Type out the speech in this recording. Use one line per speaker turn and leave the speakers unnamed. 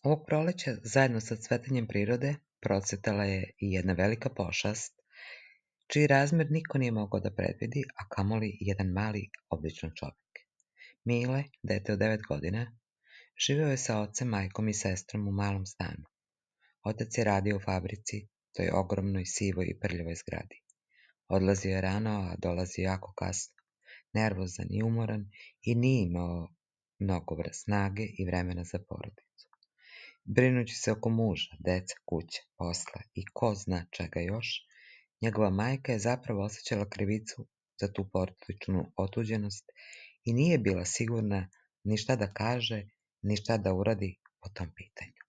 Ovog proleća, zajedno sa cvetanjem prirode, procvetala je i jedna velika pošast, čiji razmer niko nije mogao da predvidi, a kamoli jedan mali, običan čovek. Mile, dete od 9 godina, živeo je sa ocem, majkom i sestrom u malom stanu. Otac je radio u fabrici, toj ogromnoj, sivoj i prljavoj zgradi. Odlazio je rano, a dolazio jako kasno, nervozan i umoran i nije imao mnogo snage i vremena za porodicu. Brinući se oko muža, deca, kuće, posla i ko zna čega još, njegova majka je zapravo osjećala krivicu za tu porodičnu otuđenost i nije bila sigurna ni šta da kaže, ni šta da uradi po tom pitanju.